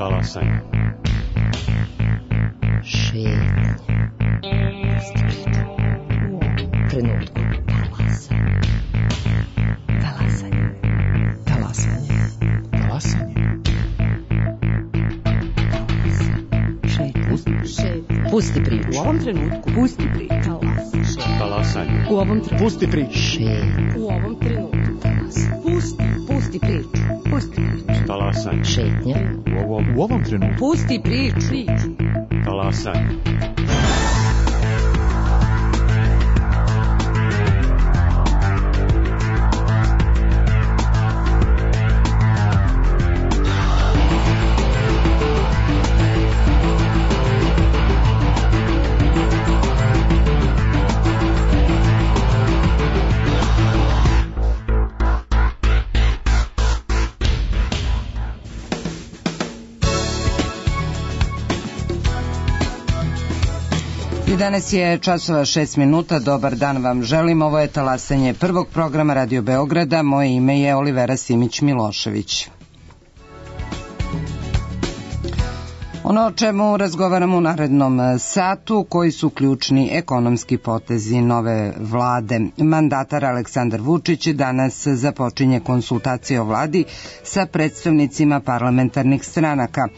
Talasanje. Šetnja. Trenutku. Talasanje. Talasanje. Talasanje. Šetnja. Pusti priču. U ovom trenutku. Pusti priču. Talasanje. U ovom trenutku. Pusti priču. Šetnja. U ovom trenutku. Pusti priču. Pusti priču. Talasanje. Šetnja. U ovom trenutku. Pusti priču. Talasanje. Danas je časova 6 minuta, dobar dan vam želim, ovo je talasanje prvog programa Radio Beograda, moje ime je Olivera Simić-Milošević. Ono o čemu razgovaramo u narednom satu, koji su ključni ekonomski potezi nove vlade. Mandatar Aleksandar Vučić danas započinje konsultacije o vladi sa predstavnicima parlamentarnih stranaka.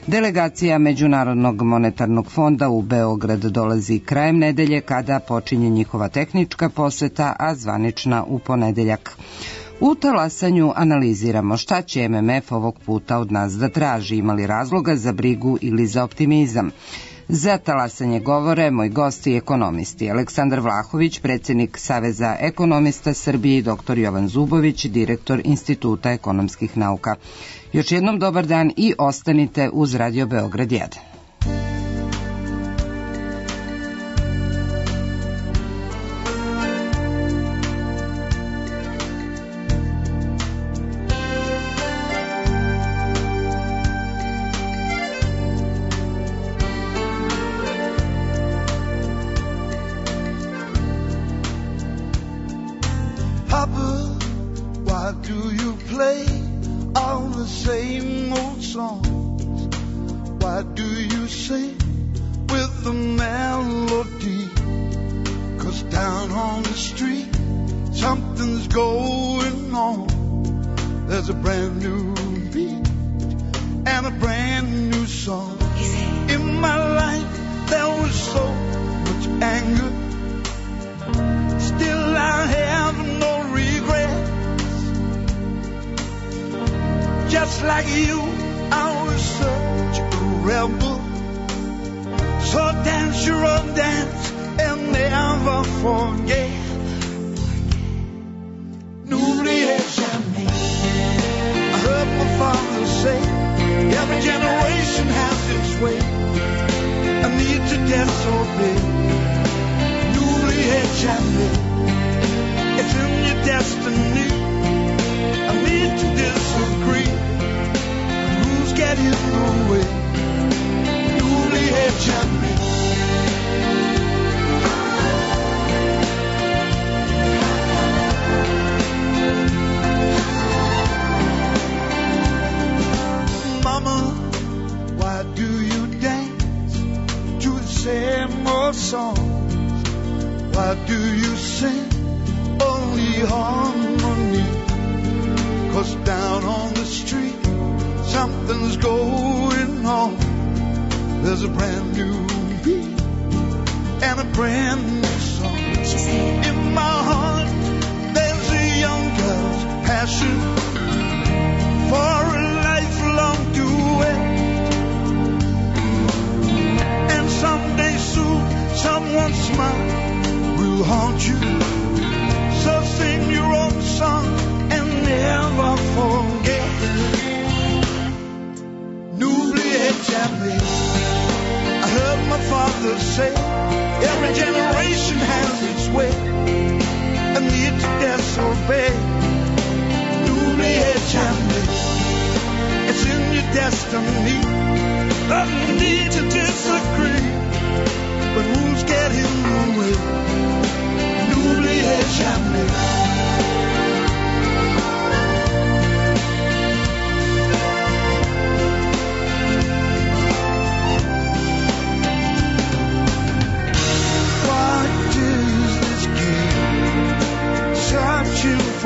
Delegacija Međunarodnog monetarnog fonda u Beograd dolazi krajem nedelje kada počinje njihova tehnička poseta, a zvanična u ponedeljak. U talasanju analiziramo šta će MMF ovog puta od nas da traži, ima li razloga za brigu ili za optimizam. Za talasanje govore moji gosti i ekonomisti. Aleksandar Vlahović, predsjednik Saveza ekonomista Srbije, i dr. Jovan Zubović, direktor Instituta ekonomskih nauka. Još jednom dobar dan i ostanite uz Radio Beograd 1.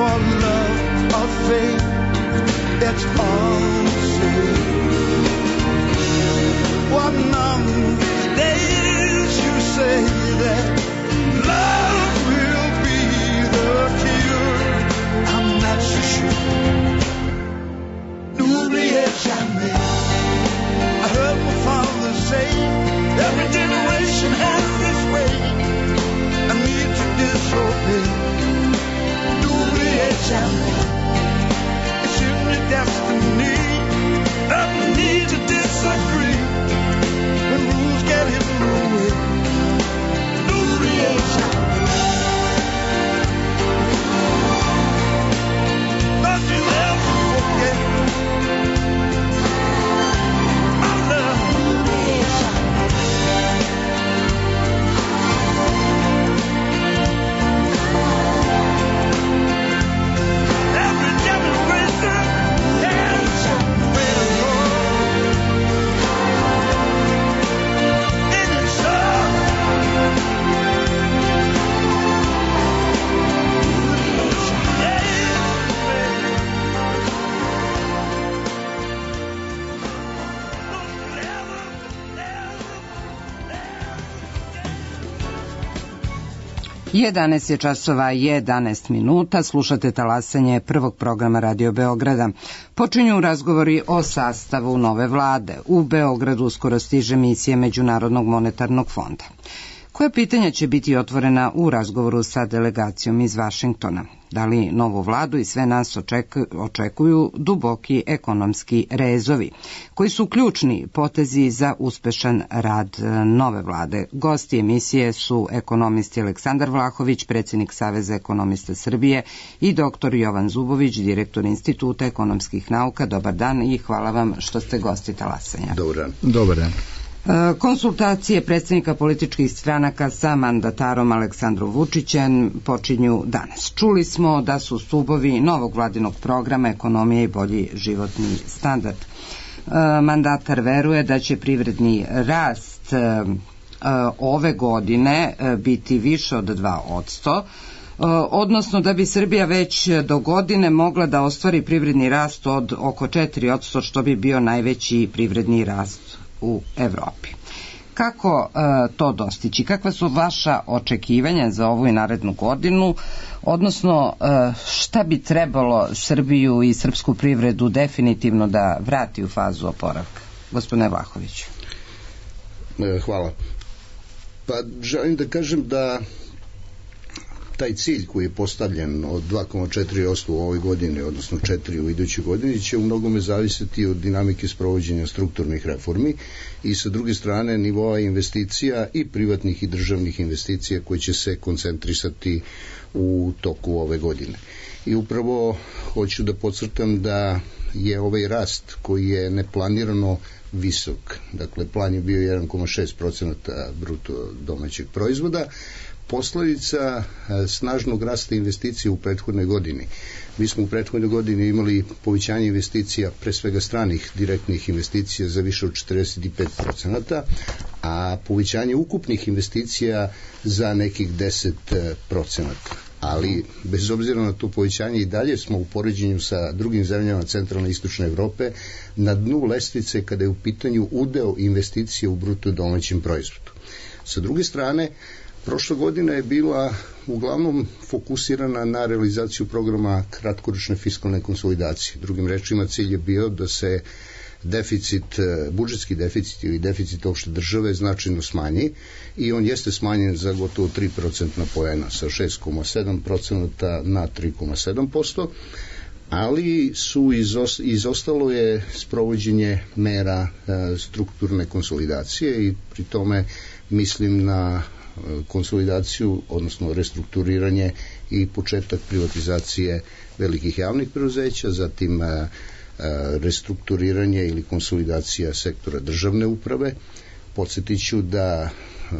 for love or fate, it's all the same. One of these days you say that love will be the cure. I'm not so sure. N'oubliez jamais. I heard my father say, every generation has this way. I need to disobey. N'oubliez jamais. It's in your destiny that we need to disagree. When rules get in the way. N'oubliez jamais. Don't you ever forget. Jedanaest je časova 11 minuta, slušate talasanje prvog programa Radio Beograda. Počinju razgovori o sastavu nove vlade. U Beogradu uskoro stiže misija Međunarodnog monetarnog fonda. Koja pitanja će biti otvorena u razgovoru sa delegacijom iz Vašingtona? Da li novu vladu i sve nas očekuju duboki ekonomski rezovi, koji su ključni potezi za uspešan rad nove vlade? Gosti emisije su ekonomisti Aleksandar Vlahović, predsjednik Saveza ekonomista Srbije, i dr. Jovan Zubović, direktor Instituta ekonomskih nauka. Dobar dan i hvala vam što ste gosti talasanja. Dobar dan. Dobar dan. Konsultacije predsjednika političkih stranaka sa mandatarom Aleksandrom Vučićem počinju danas. Čuli smo da su stubovi novog vladinog programa ekonomija i bolji životni standard. Mandatar veruje da će privredni rast ove godine biti više od 2%, odnosno da bi Srbija već do godine mogla da ostvari privredni rast od oko 4%, što bi bio najveći privredni rast u Evropi. Kako to dostići? Kakva su vaša očekivanja za ovu i narednu godinu? Odnosno, šta bi trebalo Srbiju i srpsku privredu definitivno da vrati u fazu oporavka? Gospodine Vlahoviću. Hvala. Pa želim da kažem da taj cilj koji je postavljen od 2,4% u ovoj godini, odnosno 4% u idućoj godini, će u mnogome zavisiti od dinamike sprovođenja strukturnih reformi i sa druge strane nivoa investicija i privatnih i državnih investicija koje će se koncentrisati u toku ove godine. I upravo hoću da podcrtam da je ovaj rast koji je neplanirano visok, dakle plan je bio 1,6% bruto domaćeg proizvoda, posledica snažnog rasta investicija u prethodnoj godini. Mi smo u prethodnoj godini imali povećanje investicija, pre svega stranih direktnih investicija, za više od 45%, a povećanje ukupnih investicija za nekih 10%. Ali, bez obzira na to povećanje, i dalje smo u poređenju sa drugim zemljama centralne i istočne Evrope na dnu lestvice kada je u pitanju udeo investicije u bruto domaćem proizvodu. Sa druge strane, prošla godina je bila uglavnom fokusirana na realizaciju programa kratkoročne fiskalne konsolidacije. Drugim rečima, cilj je bio da se budžetski deficit ili deficit opšte države značajno smanji i on jeste smanjen za gotovo 3% poena, sa 6,7% na 3,7%, ali izostalo je sprovođenje mera strukturne konsolidacije i pri tome mislim na konsolidaciju, odnosno restrukturiranje i početak privatizacije velikih javnih preduzeća, zatim restrukturiranje ili konsolidacija sektora državne uprave. Podsjetiću da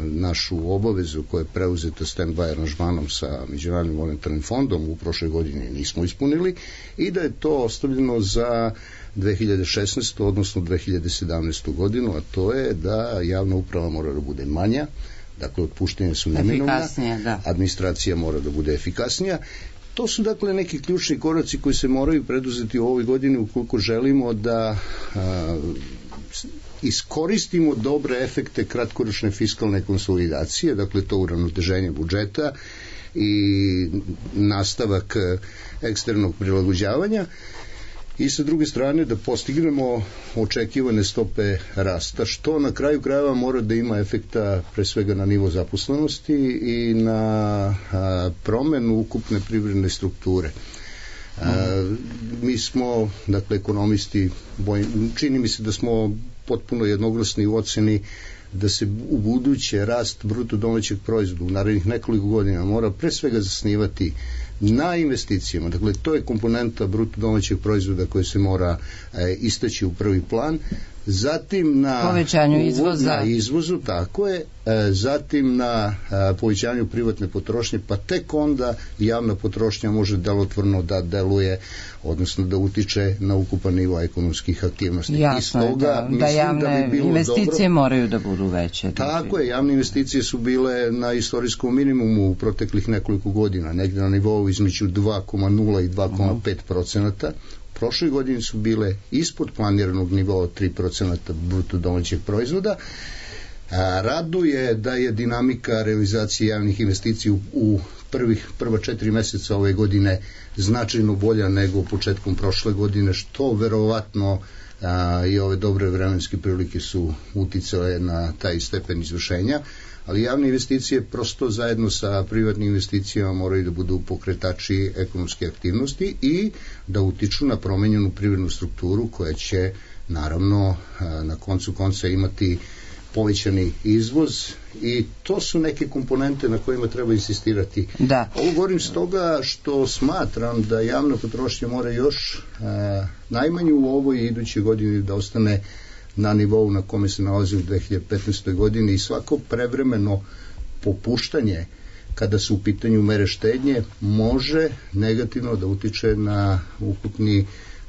našu obavezu koja je preuzeta stand-by aranžmanom sa Međunarodnim monetarnim fondom u prošloj godini nismo ispunili i da je to ostavljeno za 2016. odnosno 2017. godinu, a to je da javna uprava mora da bude manja, dakle otpuštenja su neminovna, administracija mora da bude efikasnija. To su dakle neki ključni koraci koji se moraju preduzeti u ovoj godini ukoliko želimo da iskoristimo dobre efekte kratkoročne fiskalne konsolidacije, dakle to uravnoteženje budžeta i nastavak eksternog prilagođavanja, i sa druge strane da postignemo očekivane stope rasta, što na kraju krajeva mora da ima efekta pre svega na nivo zaposlenosti i na promenu ukupne privredne strukture. Mi smo, dakle, ekonomisti, čini mi se da smo potpuno jednoglasni u oceni da se u buduće rast bruto domaćeg proizvoda u narednih nekoliko godina mora pre svega zasnivati na investicijama. Dakle, to je komponenta bruto domaćeg proizvoda koja se mora istaći u prvi plan. Zatim na povećanju izvoza. Na izvozu, tako je. Zatim na povećanju privatne potrošnje, pa tek onda javna potrošnja može delotvorno da deluje, odnosno da utiče na ukupan nivo ekonomskih aktivnosti. Jasno je da javne investicije moraju da budu veće. Tako je, javne investicije su bile na istorijskom minimumu u proteklih nekoliko godina, negdje na nivou između 2,0 i 2,5%. Prošle godine su bile ispod planiranog nivoa 3% bruto domaćeg proizvoda. Raduje da je dinamika realizacije javnih investicija u prva 4 meseca ove godine značajno bolja nego početkom prošle godine, što verovatno i ove dobre vremenske prilike su uticale na taj stepen izvršenja, ali javne investicije prosto zajedno sa privatnim investicijama moraju da budu pokretači ekonomske aktivnosti i da utiču na promenjenu privrednu strukturu koja će naravno na koncu konca imati povećani izvoz, i to su neke komponente na kojima treba insistirati. Da. Ovo govorim stoga što smatram da javna potrošnja mora još najmanje u ovoj i idućoj godini da ostane na nivou na kome se nalazi u 2015. godini, i svako prevremeno popuštanje kada su u pitanju mere štednje može negativno da utiče na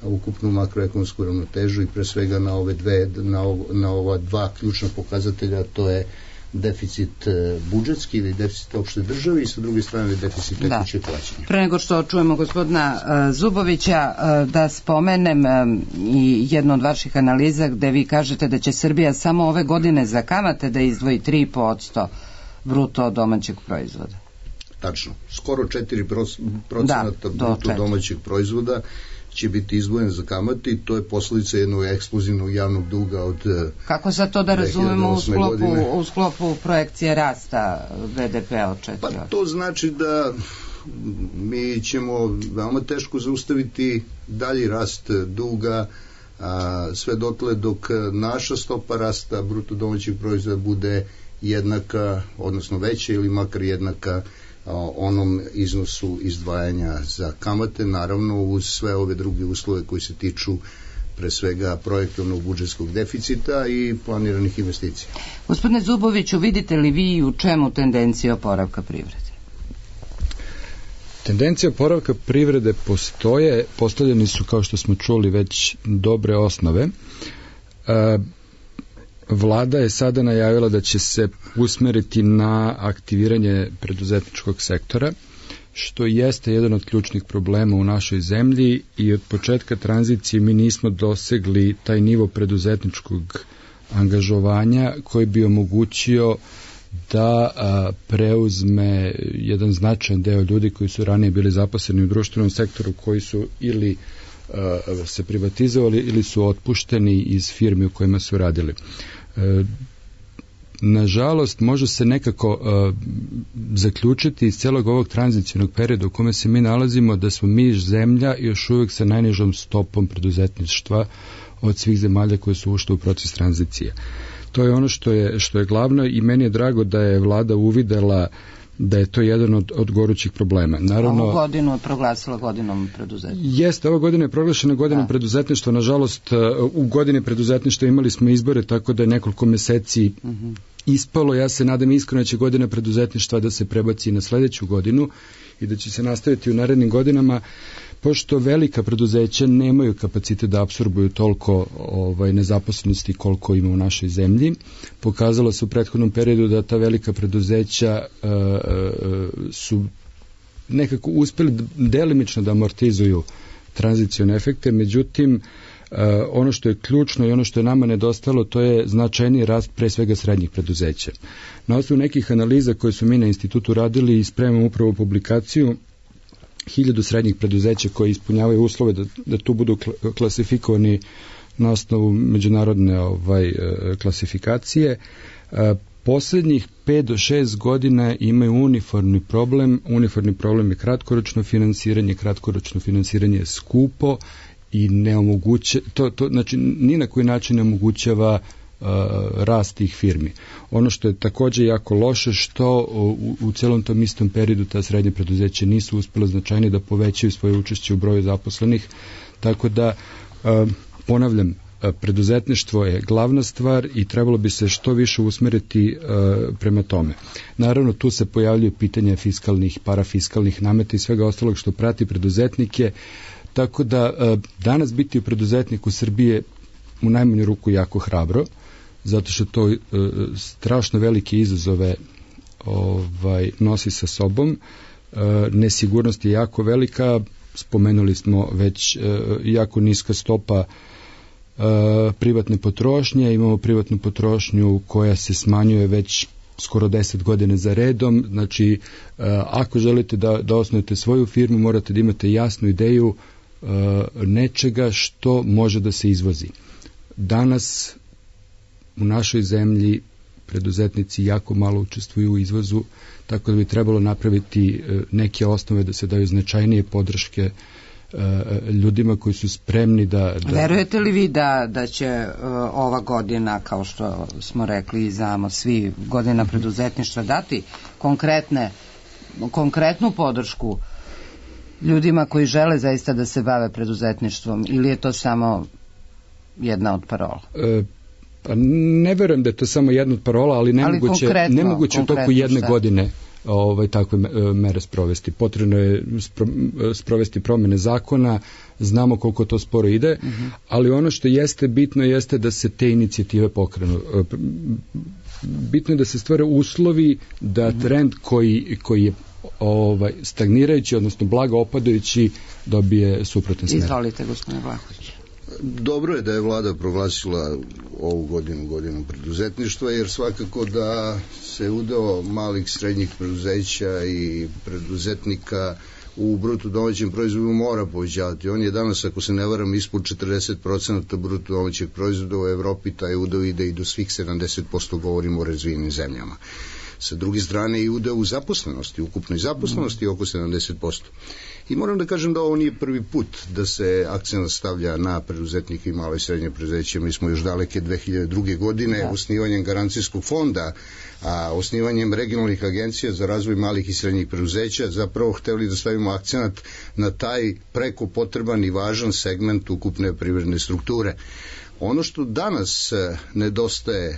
ukupnu makroekonomsku ravnotežu i pre svega na ova dva ključna pokazatelja, to je deficit budžetski ili deficit opšte države i sa druge strane deficit tekuće plaćanja. Pre nego što čujemo gospodina Zubovića, da spomenem i jednu od vaših analiza gde vi kažete da će Srbija samo ove godine za kamate da izdvoji 3% bruto domaćeg proizvoda. Tačno, skoro 4% bruto domaćeg proizvoda će biti izdvojen za kamate, i to je posljedica jednog eksplozivnog javnog duga od 2008. Kako sad to da razumemo u sklopu projekcije rasta BDP-a od 4%? Pa to znači da mi ćemo veoma teško zaustaviti dalji rast duga, sve dotle dok naša stopa rasta bruto domaćeg proizvoda bude jednaka, odnosno veća ili makar jednaka onom iznosu izdvajanja za kamate, naravno uz sve ove druge uslove koji se tiču pre svega projektovnog budžetskog deficita i planiranih investicija. Gospodine Zuboviću, vidite li vi u čemu tendencija oporavka privrede? Tendencija oporavka privrede postoje, postavljeni su, kao što smo čuli, već dobre osnove. Vlada je sada najavila da će se usmeriti na aktiviranje preduzetničkog sektora, što jeste jedan od ključnih problema u našoj zemlji, i od početka tranzicije mi nismo dosegli taj nivo preduzetničkog angažovanja koji bi omogućio da preuzme jedan značajan deo ljudi koji su ranije bili zaposleni u društvenom sektoru, koji su ili se privatizovali ili su otpušteni iz firmi u kojima su radili. Nažalost, može se nekako zaključiti iz celog ovog tranzicijnog perioda u kome se mi nalazimo da smo mi zemlja još uvijek sa najnižom stopom preduzetništva od svih zemalja koje su ušle u proces tranzicije. To je ono što je glavno, i meni je drago da je vlada uvidela da je to jedan od gorućih problema. Naravno, ovu godinu je proglasila godinom preduzetništva. Jeste, ova godina je proglašena godinom preduzetništva. Nažalost, u godini preduzetništva imali smo izbore, tako da je nekoliko meseci ispalo. Ja se nadam iskreno da će godina preduzetništva da se prebaci na sledeću godinu i da će se nastaviti u narednim godinama, pošto velika preduzeća nemaju kapacitet da apsorbuju toliko nezaposlenosti koliko ima u našoj zemlji. Pokazalo se u prethodnom periodu da ta velika preduzeća su nekako uspeli delimično da amortizuju tranzicione efekte, međutim ono što je ključno i ono što je nama nedostalo, to je značajniji rast pre svega srednjih preduzeća. Na osnovu nekih analiza koje su mi na institutu radili i spremamo upravo publikaciju 1000 srednjih preduzeća koji ispunjavaju uslove da tu budu klasifikovani na osnovu međunarodne klasifikacije. Poslednjih 5 do 6 godina imaju uniformni problem. Uniformni problem je kratkoročno finansiranje je skupo i ne omogućava, znači ni na koji način ne omogućava rast tih firmi. Ono što je takođe jako loše, što u celom tom istom periodu ta srednje preduzeće nisu uspjela značajnije da povećaju svoje učešće u broju zaposlenih, tako da ponavljam, preduzetništvo je glavna stvar i trebalo bi se što više usmeriti prema tome. Naravno, tu se pojavljaju pitanja fiskalnih, parafiskalnih nameta i svega ostalog što prati preduzetnike, tako da danas biti preduzetnik u Srbiji je u najmanju ruku jako hrabro, zato što to strašno velike izazove nosi sa sobom. Nesigurnost je jako velika, spomenuli smo već jako niska stopa privatne potrošnje, imamo privatnu potrošnju koja se smanjuje već skoro 10 godina za redom, znači ako želite da osnujete svoju firmu, morate da imate jasnu ideju nečega što može da se izvozi. Danas u našoj zemlji preduzetnici jako malo učestvuju u izvozu, tako da bi trebalo napraviti neke osnove da se daju značajnije podrške ljudima koji su spremni da... Verujete li vi da će ova godina, kao što smo rekli i znamo svi, godina preduzetništva dati konkretnu podršku ljudima koji žele zaista da se bave preduzetništvom, ili je to samo jedna od parola? Pa ne verujem da je to samo jedna od parola, ali nemoguće u toku jedne godine takve mere sprovesti. Potrebno je sprovesti promene zakona, znamo koliko to sporo ide, ali ono što jeste bitno jeste da se te inicijative pokrenu. Bitno je da se stvore uslovi da trend koji je stagnirajući, odnosno blago opadajući, dobije suprotan smer. Izvolite, gospodine Vlahović. Dobro je da je vlada proglasila ovu godinu preduzetništva, jer svakako da se udeo malih srednjih preduzeća i preduzetnika u bruto domaćem proizvodu mora povećavati. On je danas, ako se ne varam, ispod 40% bruto domaćeg proizvoda u Evropi, taj udeo ide i do svih 70%, govorimo o razvijenim zemljama. Sa druge strane i udeo u zaposlenosti, ukupnoj zaposlenosti oko 70%. I moram da kažem da ovo nije prvi put da se akcent stavlja na preduzetnike i male i srednje preduzeće. Mi smo još daleke 2002. godine osnivanjem garancijskog fonda, a osnivanjem regionalnih agencija za razvoj malih i srednjih preduzeća zapravo hteli da stavimo akcent na taj preko potreban i važan segment ukupne privredne strukture. Ono što danas nedostaje,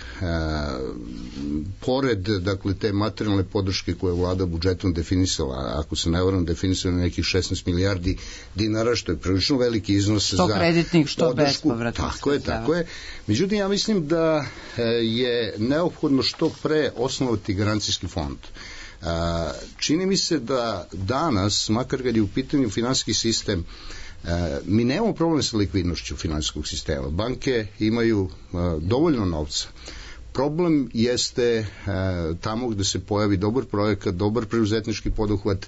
pored dakle, te materijalne podrške koje je vlada budžetom definisala, ako se ne varam, definisala nekih 16 milijardi dinara, što je prilično veliki iznos za podršku. Što kreditnih, što bespovratnih. Tako je. Međutim, ja mislim da je neophodno što pre osnovati garancijski fond. Čini mi se da danas, makar kad je u pitanju finansijski sistem, mi nemamo problem sa likvidnošću finansijskog sistema. Banke imaju dovoljno novca. Problem jeste tamo gde se pojavi dobar projekat, dobar preduzetnički poduhvat,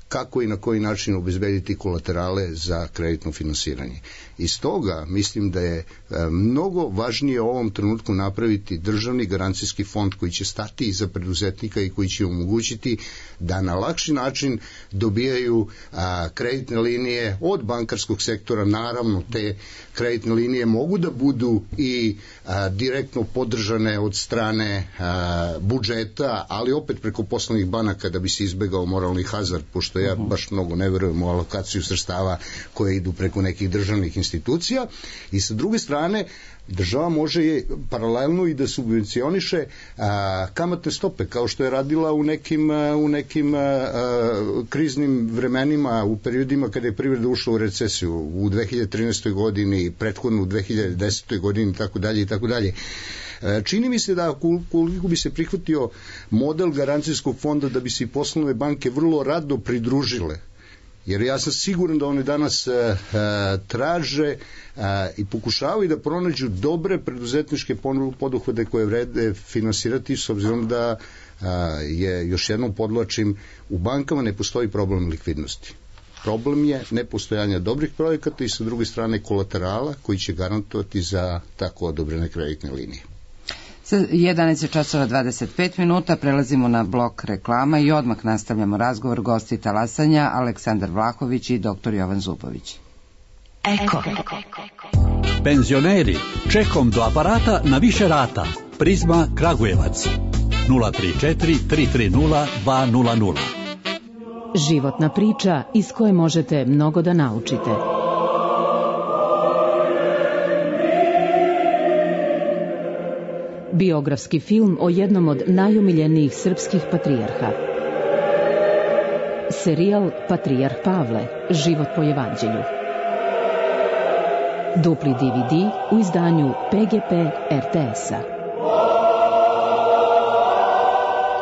kako i na koji način obezbediti kolaterale za kreditno finansiranje. I stoga mislim da je mnogo važnije u ovom trenutku napraviti državni garancijski fond koji će stati iza preduzetnika i koji će omogućiti da na lakši način dobijaju kreditne linije od bankarskog sektora. Naravno, te kreditne linije mogu da budu i direktno podržane od strane budžeta, ali opet preko poslovnih banaka da bi se izbegao moralni hazard, pošto ja baš mnogo ne verujem u alokaciju sredstava koje idu preko nekih državnih institucija. I sa druge strane, država može paralelno i da subvencioniše kamatne stope, kao što je radila u nekim kriznim vremenima, u periodima kada je privreda ušla u recesiju, u 2013. godini, prethodno u 2010. godini i tako dalje i tako dalje. Čini mi se da koliko bi se prihvatio model garancijskog fonda, da bi se i poslovne banke vrlo rado pridružile, jer ja sam siguran da one danas traže i pokušavaju da pronađu dobre preduzetničke poduhvate koje vrede finansirati, s obzirom da je, još jednom podvlačim, u bankama ne postoji problem likvidnosti. Problem je nepostojanja dobrih projekata i sa druge strane kolaterala koji će garantovati za tako odobrene kreditne linije. 11:25, prelazimo na blok reklama i odmah nastavljamo razgovor. Gosti talasanja Aleksandar Vlahović i dr. Jovan Zubović. Eko. Penzioneri, čekom do aparata na više rata. Prizma Kragujevac 034 330 200. Životna priča iz koje možete mnogo da naučite. Biografski film o jednom od najomiljenijih srpskih patrijarha. Serijal Patrijarh Pavle, život po evanđelju. Dupli DVD u izdanju PGP RTS-a.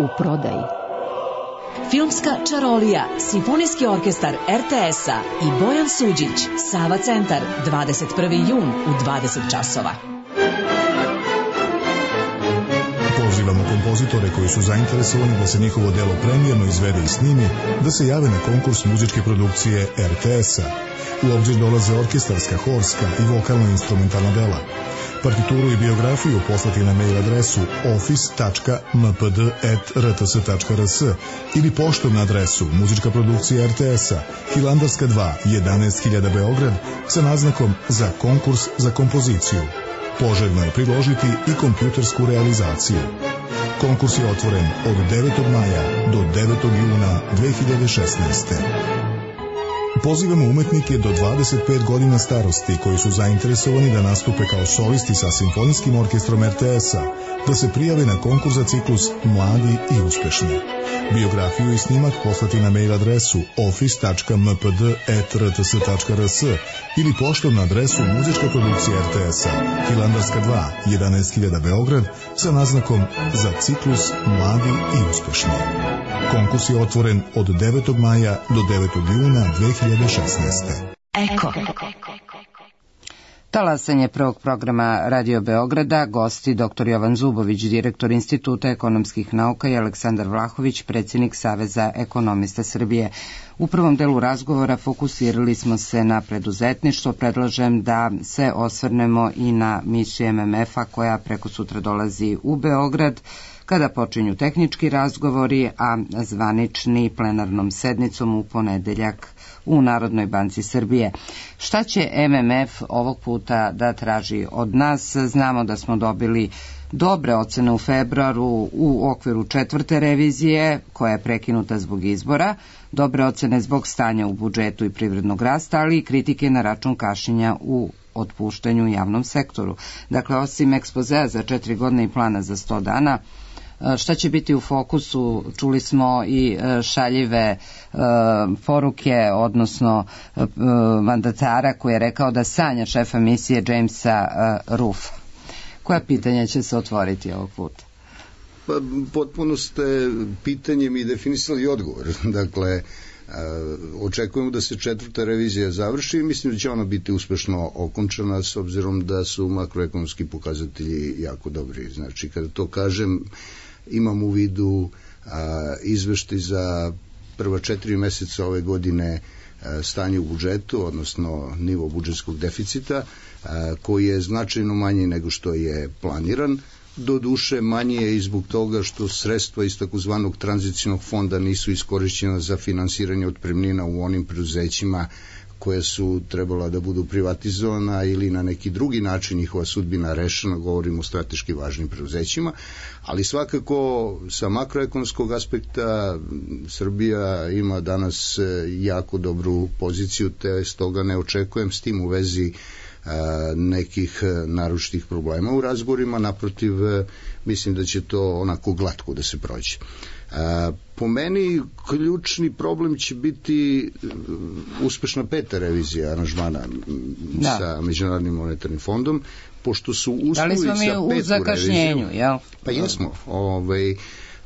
U prodaji. Filmska čarolija, Simfonijski orkestar RTS-a i Bojan Suđić, Sava centar, 21. jun u 20 časova. Pozivamo kompozitore koji su zainteresovani da se njihovo delo premijerno izvede i snimi, da se jave na konkurs muzičke produkcije RTS-a. U obzir dolaze orkestarska, horska i vokalno-instrumentalna dela. Partituru i biografiju poslati na mail adresu office.mpd@rts.rs ili poštom na adresu Muzička produkcija RTS-a, Hilandarska 2, 11.000 Beograd, sa naznakom za konkurs za kompoziciju. Poželjno je priložiti i kompjutersku realizaciju. Konkurs je otvoren od 9. maja do 9. juna 2016. Pozivamo umetnike do 25 godina starosti koji su zainteresovani da nastupe kao solisti sa Simfonijskim orkestrom RTS-a, da se prijave na konkurs za ciklus Mladi i uspešni. Biografiju i snimak poslati na mail adresu office.mpd@rts.rs ili poštom na adresu Muzička produkcija RTS-a, Hilandarska 2, 11.000 Beograd, sa naznakom za ciklus Mladi i uspešni. Konkurs je otvoren od 9. maja do 9. juna 2016. Eko. Talasanje prvog programa Radio Beograda, gosti dr. Jovan Zubović, direktor Instituta ekonomskih nauka, i Aleksandar Vlahović, predsjednik Saveza ekonomista Srbije. U prvom delu razgovora fokusirali smo se na preduzetništvo. Predlažem da se osvrnemo i na misiju MMF-a koja preko sutra dolazi u Beograd, kada počinju tehnički razgovori, a zvanični plenarnom sednicom u ponedeljak u Narodnoj banci Srbije. Šta će MMF ovog puta da traži od nas? Znamo da smo dobili dobre ocene u februaru u okviru 4. revizije, koja je prekinuta zbog izbora, dobre ocene zbog stanja u budžetu i privrednog rasta, ali i kritike na račun kašnjenja u otpuštanju u javnom sektoru. Dakle, osim ekspozea za 4 godine i plana za 100 dana, šta će biti u fokusu? Čuli smo i šaljive poruke, odnosno mandatara koji je rekao da sanja šefa misije Jamesa Ruffa. Koja pitanja će se otvoriti ovog puta? Pa, potpuno ste pitanjem i definisali odgovor. Dakle, očekujemo da se 4. revizija završi i mislim da će ona biti uspešno okončana, s obzirom da su makroekonomski pokazatelji jako dobri. Znači, kada to kažem, imam u vidu izveštaj za prva 4 meseca ove godine stanje u budžetu, odnosno nivo budžetskog deficita, koji je značajno manji nego što je planiran. Do duše manje je i zbog toga što sredstva iz takozvanog tranzicionog fonda nisu iskorišćena za finansiranje otpremnina u onim preduzećima koje su trebala da budu privatizovana ili na neki drugi način njihova sudbina rešena, govorimo o strateški važnim preduzećima, ali svakako sa makroekonomskog aspekta Srbija ima danas jako dobru poziciju, te stoga ne očekujem s tim u vezi nekih naročitih problema u razgovorima, naprotiv mislim da će to onako glatko da se prođe. Po meni ključni problem će biti uspešna 5. revizija aranžmana sa Međunarodnim monetarnim fondom, pošto su uslovi za 5. reviziju... Da li smo mi u zakašnjenju, jel? Pa jesmo.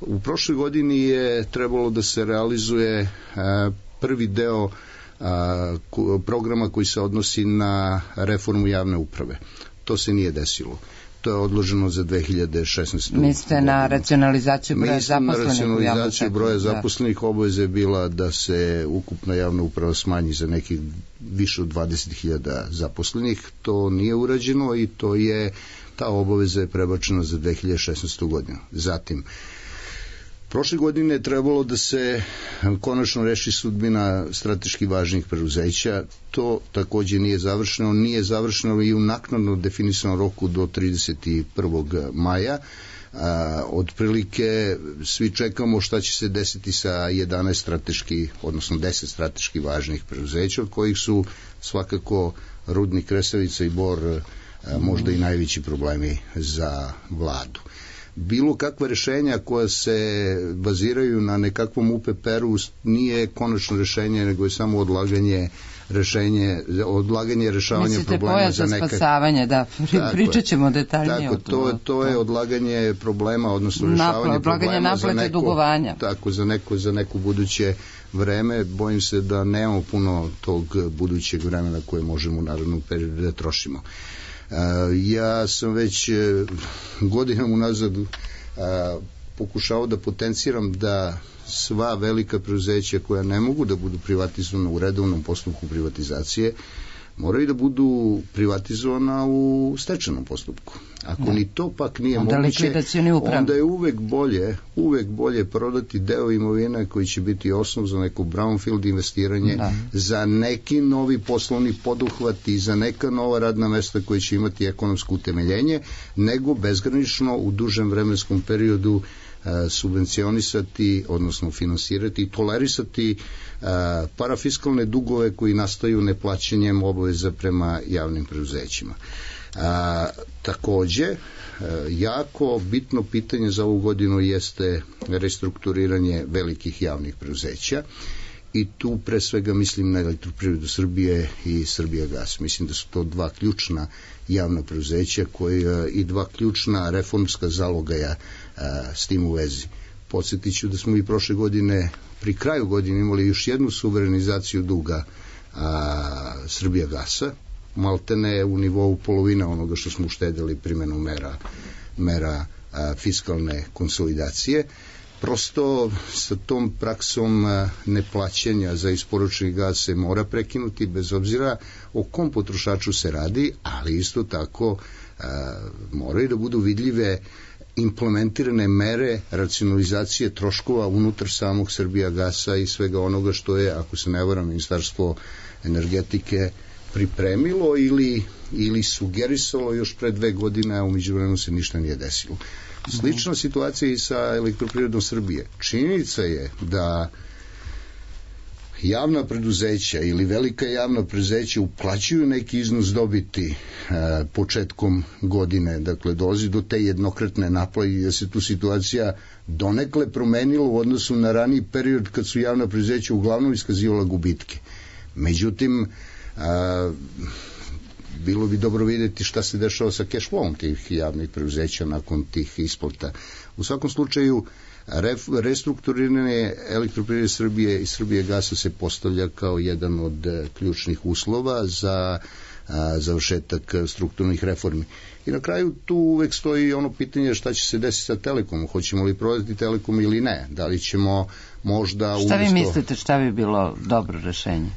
U prošloj godini je trebalo da se realizuje prvi deo programa koji se odnosi na reformu javne uprave. To se nije desilo. To je odloženo za 2016. Mislite na racionalizaciju broja zaposlenih? Mislim na racionalizaciju broja zaposlenih. Obaveza je bila da se ukupna javna uprava smanji za nekih više od 20.000 zaposlenih. To nije urađeno i ta obaveza je prebačena za 2016. godinu. Zatim, prošle godine je trebalo da se konačno reši sudbina strateški važnih preduzeća. To takođe nije završeno. Nije završeno i u naknadno definisanom roku do 31. maja. Otprilike svi čekamo šta će se desiti sa 11 strateški, odnosno 10 strateški važnih preduzeća, od kojih su svakako Rudnik Resavica i Bor možda i najveći problemi za vladu. Bilo kakva rešenja koja se baziraju na nekakvom UPPR-u nije konačno rešenje, nego je samo odlaganje rešavanja problema za neka... Mislite spasavanje, da, pričat ćemo detaljnije o to. To je odlaganje problema, odnosno rešavanje problema za neko buduće vreme. Bojim se da nemamo puno tog budućeg vremena koje možemo u narednom periodu da trošimo. Ja sam već godinama unazad pokušao da potenciram da sva velika preduzeća koja ne mogu da budu privatizovana u redovnom postupku privatizacije moraju da budu privatizovana u stečajnom postupku. Ako ni to pak nije moguće, onda je uvek bolje prodati deo imovine koji će biti osnov za neko brownfield investiranje, za neki novi poslovni poduhvat i za neka nova radna mesta koji će imati ekonomsko utemeljenje, nego bezgranično u dužem vremenskom periodu subvencionisati, odnosno finansirati i tolerisati parafiskalne dugove koji nastaju neplaćanjem obaveza prema javnim preduzećima. Takođe, jako bitno pitanje za ovu godinu jeste restrukturiranje velikih javnih preduzeća i tu pre svega mislim na Elektroprivredu Srbije i Srbijagas. Mislim da su to dva ključna javna preduzeća i dva ključna reformska zalogaja s tim u vezi. Podsjetit ću da smo i prošle godine, pri kraju godine, imali još jednu suverenizaciju duga Srbijagasa, maltene u nivou polovina onoga što smo uštedili primenom mera fiskalne konsolidacije. Prosto sa tom praksom neplaćanja za isporučeni gas se mora prekinuti, bez obzira o kom potrošaču se radi, ali isto tako moraju da budu vidljive implementirane mere racionalizacije troškova unutar samog Srbijagasa i svega onoga što je, ako se ne varam, Ministarstvo energetike pripremilo ili sugerisalo još pre 2 godine, a u međuvremenu se ništa nije desilo. Slična situacija i sa Elektroprivredom Srbije. Činjenica je da javna preduzeća ili velika javna preduzeća uplaćuju neki iznos dobiti početkom godine, dakle dolazi do te jednokratne naplate i da se tu situacija donekle promenila u odnosu na raniji period kad su javna preduzeća uglavnom iskazivala gubitke. Međutim, bilo bi dobro vidjeti šta se dešava sa cash flowom tih javnih preduzeća nakon tih isplata. U svakom slučaju, restrukturiranje Elektroprivrede Srbije i Srbijagasa se postavlja kao jedan od ključnih uslova za završetak strukturnih reformi. I na kraju tu uvek stoji ono pitanje šta će se desiti sa Telekomom. Hoćemo li prodati Telekom ili ne? Da li ćemo možda... Šta vi mislite, šta bi bilo dobro rešenje?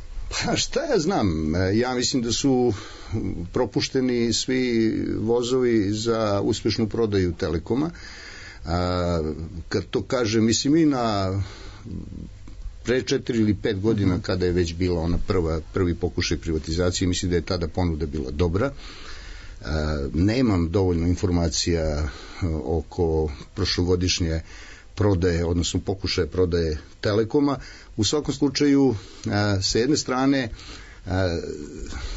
Pa šta ja znam, ja mislim da su propušteni svi vozovi za uspešnu prodaju Telekoma. Kad to kažem, mislim i na pre 4 ili 5 godina kada je već bila ona prvi pokušaj privatizacije, mislim da je tada ponuda bila dobra. Nemam dovoljno informacija oko prošlogodišnje prodaje, odnosno pokušaje prodaje Telekoma. U svakom slučaju, sa jedne strane,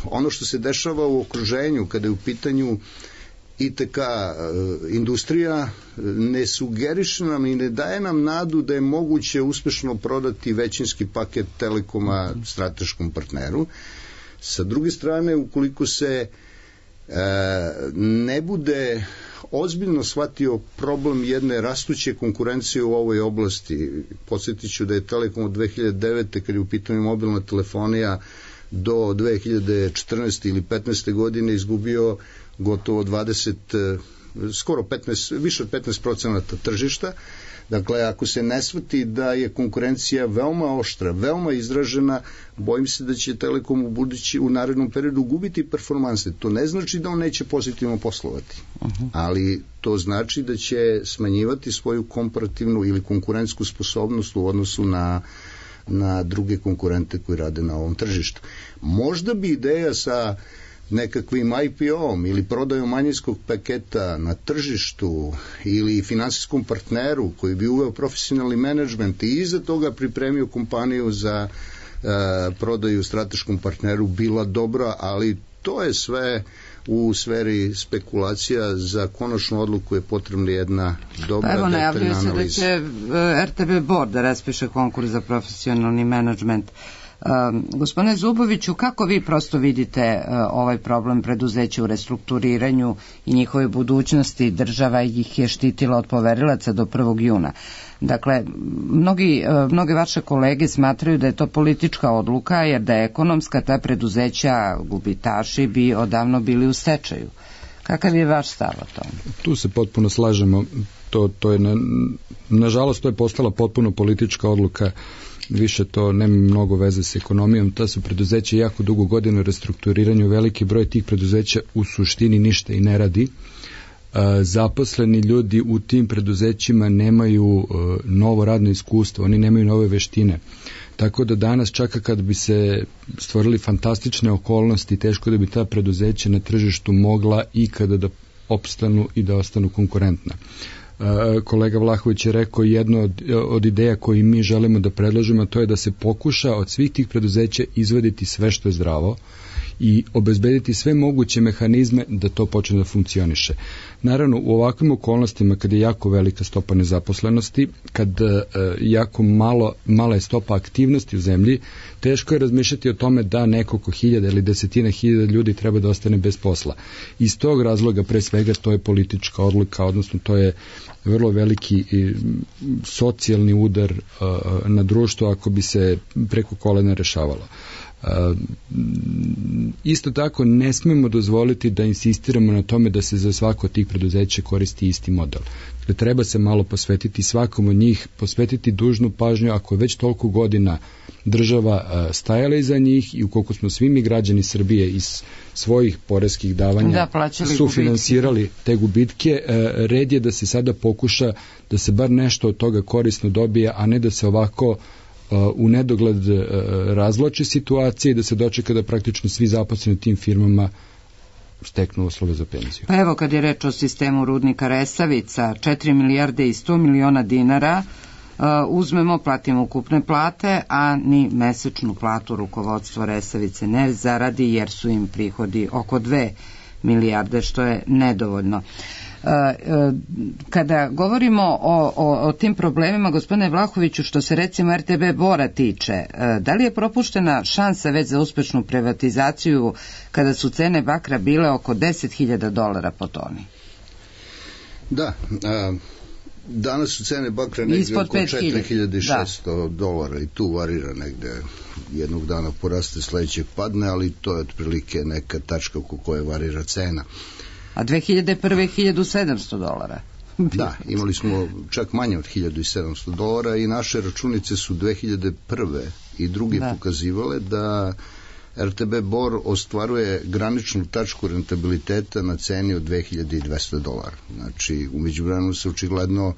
ono što se dešava u okruženju kada je u pitanju ITK industrija ne sugeriše nam i ne daje nam nadu da je moguće uspešno prodati većinski paket Telekoma strateškom partneru. Sa druge strane, ukoliko se ne bude ozbiljno shvatio problem jedne rastuće konkurencije u ovoj oblasti, podsjetit ću da je Telekom od 2009. kad je u pitanju mobilna telefonija do 2014. ili 15. godine izgubio gotovo 20, skoro 15, više od 15% tržišta. Dakle, ako se ne shvati da je konkurencija veoma oštra, veoma izražena, bojim se da će Telekom u narednom periodu gubiti performanse. To ne znači da on neće pozitivno poslovati, ali to znači da će smanjivati svoju komparativnu ili konkurentsku sposobnost u odnosu na druge konkurente koji rade na ovom tržištu. Možda bi ideja sa nekakvim IPO-om ili prodajom manjinskog paketa na tržištu ili finansijskom partneru koji bi uveo profesionalni menadžment i iza toga pripremio kompaniju za prodaju strateškom partneru bila dobra, ali to je sve u sferi spekulacija. Za konačnu odluku je potrebna jedna dobra detaljna analiza. Evo, najavljuje se da će RTB Board da raspiše konkurs za profesionalni menadžment. Gospodine Zuboviću, kako vi prosto vidite ovaj problem preduzeća u restrukturiranju i njihove budućnosti? Država ih je štitila od poverilaca do 1. juna. Dakle, mnoge vaše kolege smatraju da je to politička odluka, jer da je ekonomska, ta preduzeća gubitaši bi odavno bili u stečaju. Kakav je vaš stav o tome? Tu se potpuno slažemo. To je nažalost to je postala potpuno politička odluka. Više to nema mnogo veze s ekonomijom. Ta su preduzeća jako dugo godina u restrukturiranju. Veliki broj tih preduzeća u suštini ništa i ne radi. Zaposleni ljudi u tim preduzećima nemaju novo radno iskustvo, oni nemaju nove veštine. Tako da danas, čak kad bi se stvorili fantastične okolnosti, teško da bi ta preduzeća na tržištu mogla ikada da opstanu i da ostanu konkurentna. Kolega Vlahović je rekao jedno od ideja koji mi želimo da predložimo, to je da se pokuša od svih tih preduzeća izvaditi sve što je zdravo i obezbediti sve moguće mehanizme da to počne da funkcioniše. Naravno, u ovakvim okolnostima, kad je jako velika stopa nezaposlenosti, kad jako mala je stopa aktivnosti u zemlji, teško je razmišljati o tome da nekoliko hiljada ili desetina hiljada ljudi treba da ostane bez posla. Iz tog razloga, pre svega, to je politička odluka, odnosno to je vrlo veliki socijalni udar na društvo ako bi se preko kolena rešavalo. Isto tako ne smemo dozvoliti da insistiramo na tome da se za svako od tih preduzeća koristi isti model. Dakle, treba se malo posvetiti svakom od njih, posvetiti dužnu pažnju ako je već toliko godina država stajala iza njih i ukoliko smo svi mi građani Srbije iz svojih poreskih davanja sufinansirali te gubitke, red je da se sada pokuša da se bar nešto od toga korisno dobije, a ne da se ovako u nedogled razvlači situacije i da se dočeka da praktično svi zaposleni u tim firmama steknu uslove za penziju. Pa evo, kad je reč o sistemu rudnika Resavica, 4 milijarde i 100 miliona dinara uzmemo, platimo ukupne plate, a ni mesečnu platu rukovodstvo Resavice ne zaradi, jer su im prihodi oko 2 milijarde, što je nedovoljno. Kada govorimo o tim problemima, gospodine Vlahoviću, što se recimo RTB Bora tiče, da li je propuštena šansa već za uspešnu privatizaciju kada su cene bakra bile oko $10.000 po toni? Da, danas su cene bakra negdje oko $4.600 i tu varira negde, jednog dana poraste, sledećeg padne, ali to je otprilike neka tačka oko koje varira cena. A 2001. $1.700. Da, imali smo čak manje od $1.700 i naše računice su 2001. i druge pokazivale da RTB Bor ostvaruje graničnu tačku rentabiliteta na ceni od $2.200. Znači, u međuvremenu se očigledno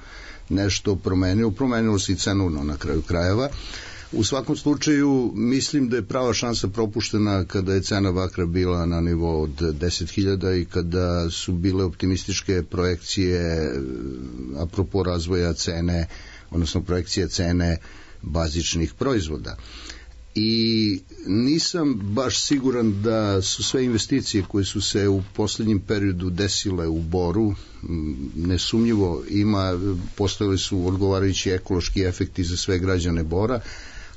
nešto promenilo se i cenovno na kraju krajeva. U svakom slučaju, mislim da je prava šansa propuštena kada je cena bakra bila na nivou od 10.000 i kada su bile optimističke projekcije apropo razvoja cene, odnosno projekcije cene bazičnih proizvoda. i nisam baš siguran da su sve investicije koje su se u poslednjem periodu desile u Boru, nesumnjivo postojali su odgovarajući ekološki efekti za sve građane Bora,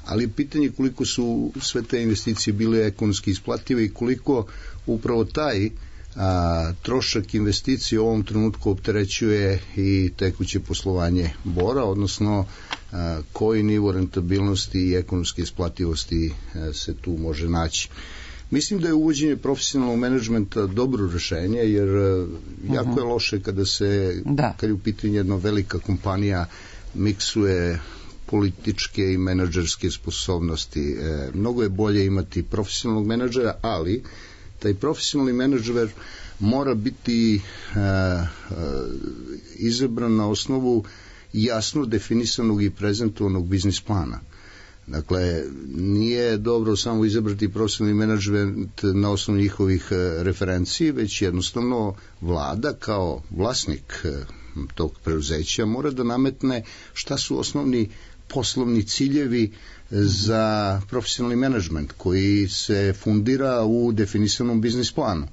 ali pitanje koliko su sve te investicije bile ekonomski isplative i koliko upravo taj trošak investicije u ovom trenutku opterećuje i tekuće poslovanje Bora, odnosno koji nivo rentabilnosti i ekonomske isplativosti se tu može naći. Mislim da je uvođenje profesionalnog menadžmenta dobro rešenje, jer jako je loše kada je u pitanju jedna velika kompanija miksuje političke i menadžerske sposobnosti. Mnogo je bolje imati profesionalnog menadžera, ali taj profesionalni menadžer mora biti izabran na osnovu jasno definisanog i prezentovanog biznis plana. Dakle, nije dobro samo izabrati profesionalni menadžment na osnovu njihovih referenciji, već jednostavno vlada kao vlasnik tog preduzeća mora da nametne šta su osnovni poslovni ciljevi za profesionalni menadžment koji se fundira u definisanom biznis planu.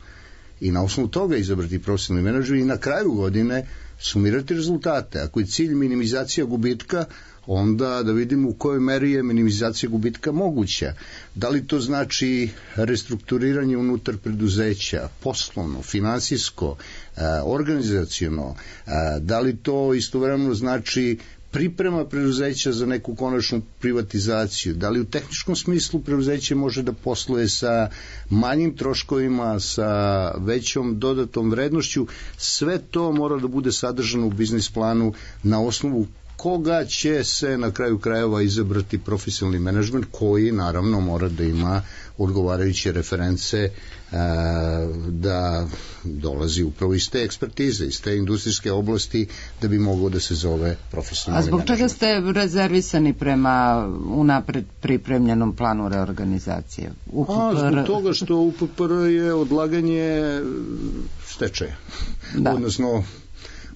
I na osnovu toga izabrati profesionalni menadžment i na kraju godine sumirati rezultate. Ako je cilj minimizacija gubitka, onda da vidimo u kojoj meri je minimizacija gubitka moguća. Da li to znači restrukturiranje unutar preduzeća, poslovno, finansijsko, organizaciono, da li to istovremeno znači priprema preduzeća za neku konačnu privatizaciju, da li u tehničkom smislu preduzeće može da posluje sa manjim troškovima, sa većom dodatom vrednošću, sve to mora da bude sadržano u biznis planu na osnovu koga će se na kraju krajeva izabrati profesionalni menadžment koji naravno mora da ima odgovarajuće reference da dolazi upravo iz te ekspertize, iz te industrijske oblasti da bi mogao da se zove profesionalni menadžment. A zbog čega ste rezervisani prema unapred pripremljenom planu reorganizacije? Zbog toga što UPPR je odlaganje stečaja. Odnosno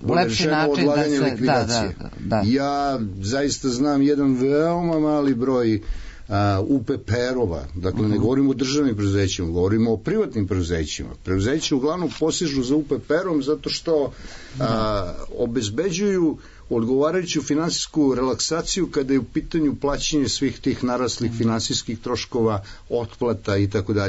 lepši način da se likvidacije. Ja zaista znam jedan veoma mali broj UPPR-ova, dakle ne govorimo o državnim preduzećima, govorimo o privatnim preduzećima. Preduzeće uglavnom posežu za UPPR-om zato što obezbeđuju odgovarajuću finansijsku relaksaciju kada je u pitanju plaćanje svih tih naraslih finansijskih troškova, otplata itd.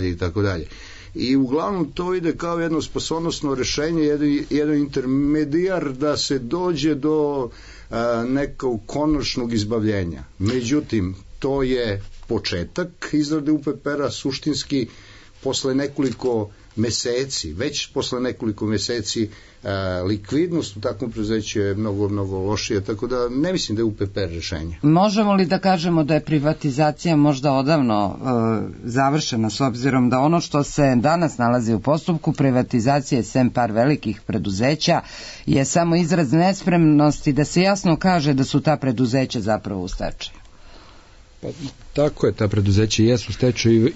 I uglavnom to ide kao jedno spasonosno rešenje, jedan intermedijar da se dođe do nekog konačnog izbavljenja. Međutim, to je početak izrade UPPR-a, suštinski posle nekoliko meseci, već posle nekoliko meseci likvidnost u takvom preduzeću je mnogo, mnogo lošija, tako da ne mislim da je UPPR rešenje. Možemo li da kažemo da je privatizacija možda odavno završena, s obzirom da ono što se danas nalazi u postupku privatizacije sem par velikih preduzeća je samo izraz nespremnosti da se jasno kaže da su ta preduzeća zapravo u stečaju? Pa, tako je, ta preduzeća jesu u stečaju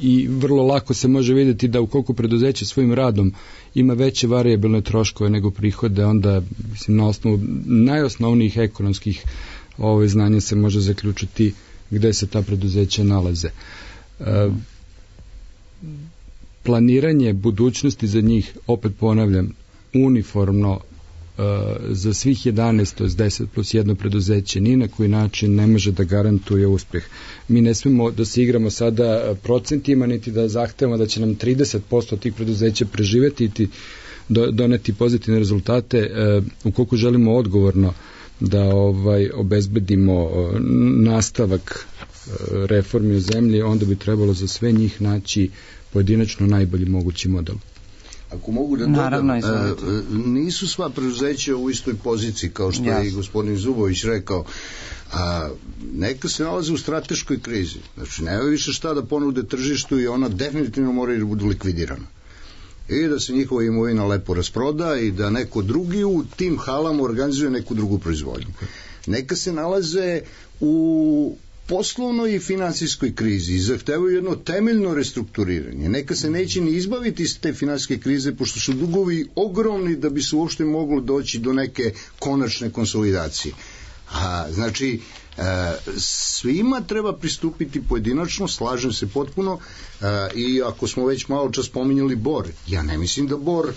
i vrlo lako se može vidjeti da ukoliko preduzeće svojim radom ima veće varijabilne troškove nego prihode, onda na osnovu najosnovnijih ekonomskih znanja se može zaključiti gde se ta preduzeća nalaze. Planiranje budućnosti za njih, opet ponavljam, uniformno za svih 11, to je 10 plus jedno preduzeće, ni na koji način ne može da garantuje uspeh. Mi ne smemo da se igramo sada procentima, niti da zahtevamo da će nam 30% tih preduzeća preživeti i doneti pozitivne rezultate. Ukoliko želimo odgovorno da obezbedimo nastavak reformi u zemlji, onda bi trebalo za sve njih naći pojedinačno najbolji mogući model. Ako mogu da dodam, nisu sva preduzeća u istoj poziciji, kao što je i gospodin Zubović rekao, neka se nalaze u strateškoj krizi. Znači, nema više šta da ponude tržištu i ona definitivno mora da budu likvidirana. I da se njihova imovina lepo rasproda i da neko drugi u tim halama organizuje neku drugu proizvodnju. Neka se nalaze u poslovnoj i finansijskoj krizi i zahtevaju jedno temeljno restrukturiranje. Neka se neće ni izbaviti iz te finansijske krize, pošto su dugovi ogromni da bi se uopšte moglo doći do neke konačne konsolidacije. Znači, Svima treba pristupiti pojedinačno, slažem se potpuno, i ako smo već malo čas spominjali Bor, ja ne mislim da Bor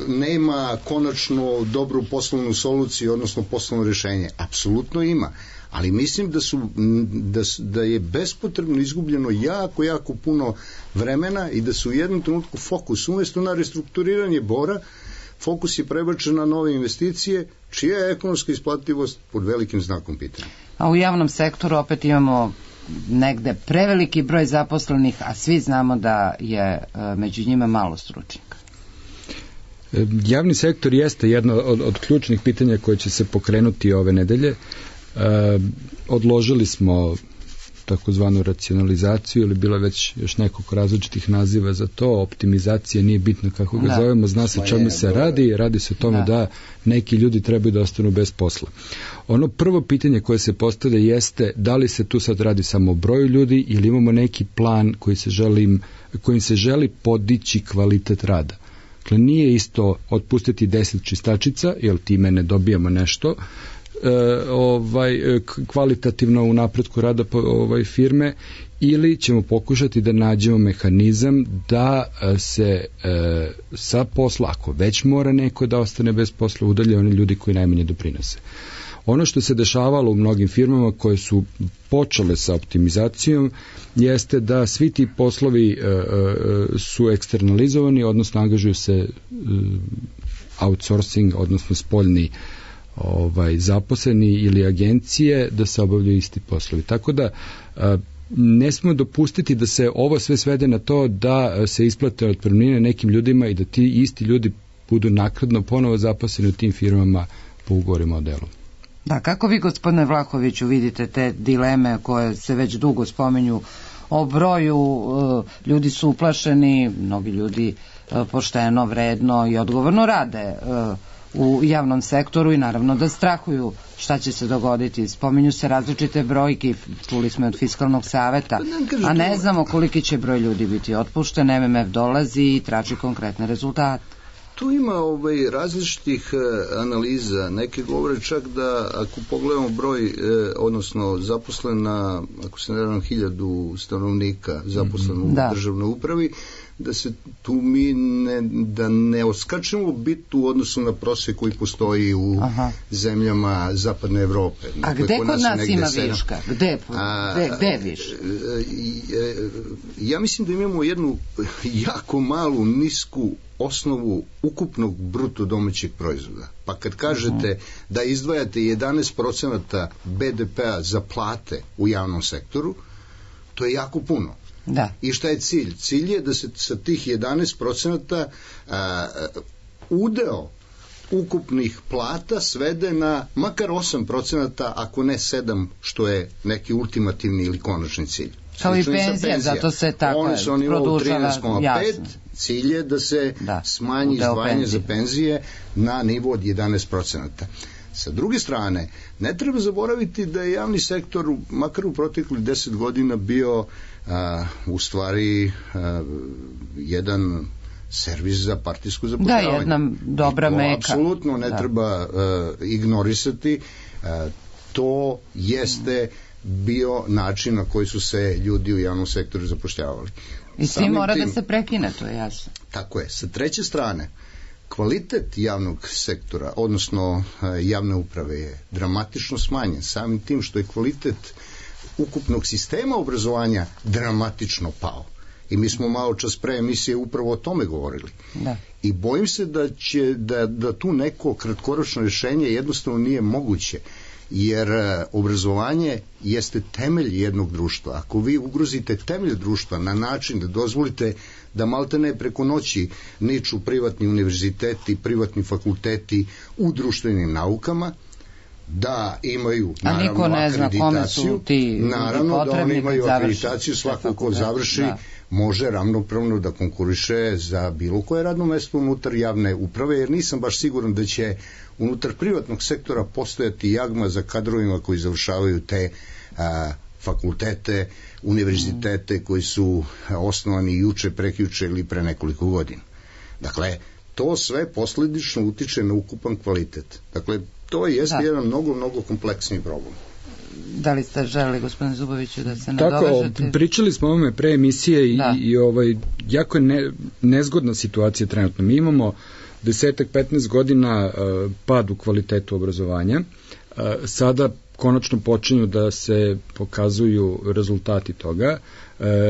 nema konačno dobru poslovnu soluciju, odnosno poslovno rešenje. Apsolutno ima, ali mislim da je bespotrebno izgubljeno jako puno vremena i da su u jednom trenutku fokus, umjesto na restrukturiranje Bora, fokus je prebačen na nove investicije, čija je ekonomska isplativost pod velikim znakom pitanja. A u javnom sektoru opet imamo negde preveliki broj zaposlenih, a svi znamo da je među njima malo stručnjaka. Javni sektor jeste jedno od ključnih pitanja koje će se pokrenuti ove nedelje. Odložili smo takozvanu racionalizaciju, ili bilo već još nekog različitih naziva za to, optimizacija, nije bitno kako ga zovemo, zna se čemu se radi se o tome da neki ljudi trebaju da ostanu bez posla. Ono prvo pitanje koje se postavlja jeste da li se tu sad radi samo o broju ljudi ili imamo neki plan kojim se želi podići kvalitet rada. Dakle, nije isto otpustiti 10 čistačica, jer time ne dobijamo nešto, kvalitativno u napretku rada firme, ili ćemo pokušati da nađemo mehanizam da se sa posla, ako već mora neko da ostane bez posla, udalje oni ljudi koji najmanje doprinose. Ono što se dešavalo u mnogim firmama koje su počele sa optimizacijom jeste da svi ti poslovi su eksternalizovani, odnosno angažuju se outsourcing, odnosno spoljni zaposleni ili agencije da se obavljaju isti poslovi. Tako da ne smemo dopustiti da se ovo sve svede na to da se isplate otpremnine nekim ljudima i da ti isti ljudi budu naknadno ponovo zaposleni u tim firmama po ugovorima o delu. Da, kako vi, gospodine Vlahoviću, vidite te dileme koje se već dugo spominju o broju, ljudi su uplašeni, mnogi ljudi pošteno, vredno i odgovorno rade u javnom sektoru i naravno da strahuju šta će se dogoditi. Spominju se različite brojke, čuli smo od Fiskalnog saveta, a ne znamo koliki će broj ljudi biti otpušten. MMF dolazi i traži konkretne rezultate. Tu ima različitih analiza. Neke govore čak da ako pogledamo broj, odnosno zaposlena, ako se ne varam, 1000 stanovnika zaposleno u državnoj upravi, da se tu mi da ne oskačemo bitu u odnosu na prosek koji postoji u zemljama zapadne Evrope. A gde kod nas ima viška? Gde viška? Ja mislim da imamo jednu jako malu, nisku osnovu ukupnog bruto domaćeg proizvoda. Pa kad kažete da izdvajate 11% BDP-a za plate u javnom sektoru, to je jako puno. Da. I šta je cilj? Cilj je da se sa tih 11% udeo ukupnih plata svede na makar 8%, ako ne 7%, što je neki ultimativni ili konačni cilj. Kao i penzija, zato se tako produžava, 13,5%, cilj je da se smanji izdvajanje za penzije na nivo od 11%. Sa druge strane, ne treba zaboraviti da je javni sektor, makar u proteklih 10 godina, bio u stvari jedan servis za partijsko zapošljavanje. Da, jedna dobra meka. Apsolutno ne treba ignorisati. To jeste bio način na koji su se ljudi u javnom sektoru zapošljavali. I svi mora da se prekine, to je jasno. Tako je. Sa treće strane, kvalitet javnog sektora, odnosno javne uprave, je dramatično smanjen. Samim tim što je kvalitet ukupnog sistema obrazovanja dramatično pao. I mi smo malo čas pre emisije upravo o tome govorili. Da. I bojim se da tu neko kratkoročno rješenje jednostavno nije moguće, jer obrazovanje jeste temelj jednog društva. Ako vi ugrozite temelj društva na način da dozvolite da maltene preko noći niču privatni univerziteti, privatni fakulteti u društvenim naukama, da imaju naravno akreditaciju, naravno da oni imaju akreditaciju, svako ko završi može ravnopravno da konkuriše za bilo koje radno mesto unutar javne uprave, jer nisam baš siguran da će unutar privatnog sektora postojati jagma za kadrovima koji završavaju te fakultete, univerzitete koji su osnovani juče, prekjuče ili pre nekoliko godina. Dakle, to sve posledično utiče na ukupan kvalitet. Dakle, to je jedan mnogo kompleksniji problem. Da li ste želeli, gospodine Zuboviću, da se nadovežete? Tako, pričali smo o ovome pre emisije i jako je nezgodna situacija trenutno. Mi imamo 10-15 godina pad u kvalitetu obrazovanja. Sada konačno počinju da se pokazuju rezultati toga.